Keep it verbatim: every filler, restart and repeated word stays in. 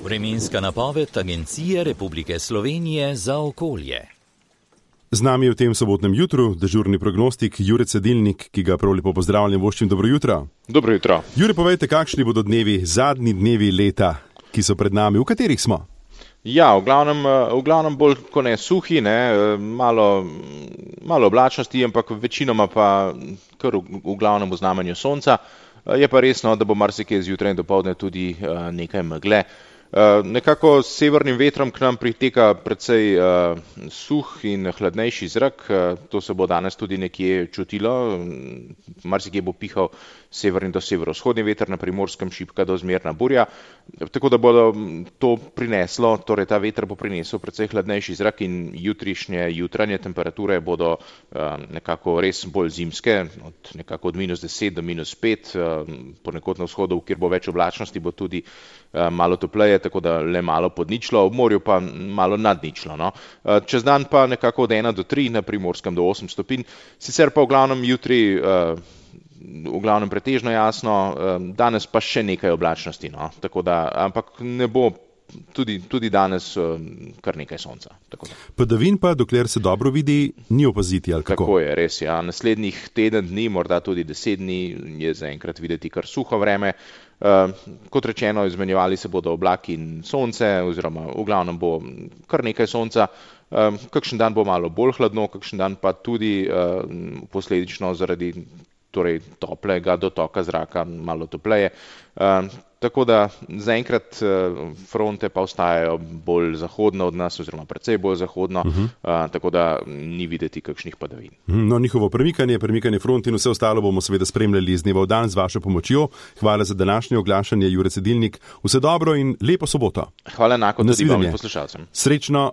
Vremenska napoved Agencije Republike Slovenije za okolje. Z nami je v tem sobotnem jutru dežurni prognostik Jure Cedilnik, ki ga prav lepo pozdravljam, voščim dobro jutro. Dobro jutro. Jure, povejte, kakšni bodo dnevi, zadnji dnevi leta, ki so pred nami, v katerih smo? Ja, v glavnem, v glavnem bolj kot ne suhi, ne, malo, malo oblačnosti, ampak večinoma pa kar v, v glavnem v znamenju sonca. Je pa resno, da bo marsikje zjutraj in dopoldne tudi nekaj megle. Uh, nekako s severnim vetrom k nam priteka precej uh, suh in hladnejši zrak, uh, to se bo danes tudi nekje čutilo, marsikje bo pihal severni do severovzhodni veter, na Primorskem šibka do zmerna burja, tako da bo to prineslo, torej ta veter bo prinesel precej hladnejši zrak in jutrišnje, jutranje temperature bodo uh, nekako res bolj zimske, od nekako od minus deset do minus pet, uh, ponekod na vzhodu, kjer bo več oblačnosti, bo tudi uh, malo topleje, tako da le malo pod ničlo, v morju pa malo nad ničlo. No. Čez dan pa nekako od ena do tri, na Primorskem do osem stopinj, sicer pa v glavnem jutri, v glavnem pretežno jasno, danes pa še nekaj oblačnosti, no. Tako da, ampak ne bo tudi, tudi danes kar nekaj sonca. Padavin pa, dokler se dobro vidi, ni opaziti, ali kako? Tako je, res, ja. Naslednjih teden dni, morda tudi deset dni, je zaenkrat videti kar suho vreme. Uh, kot rečeno, izmenjevali se bodo oblaki in sonce, oziroma v glavnem bo kar nekaj sonca. Uh, kakšen dan bo malo bolj hladno, kakšen dan pa tudi uh, posledično zaradi torej, toplega dotoka zraka malo topleje. Uh, tako da zaenkrat uh, fronte pa ostajajo bolj zahodno od nas, oziroma precej bolj zahodno, uh -huh. uh, tako da ni videti kakšnih padavin. No, njihovo premikanje, premikanje front in vse ostalo bomo seveda spremljali z dneva v dan z vašo pomočjo. Hvala za današnje oglašanje, Jure Cedilnik. Vse dobro in lepo soboto. Hvala enako tudi vam in poslušalcem. Srečno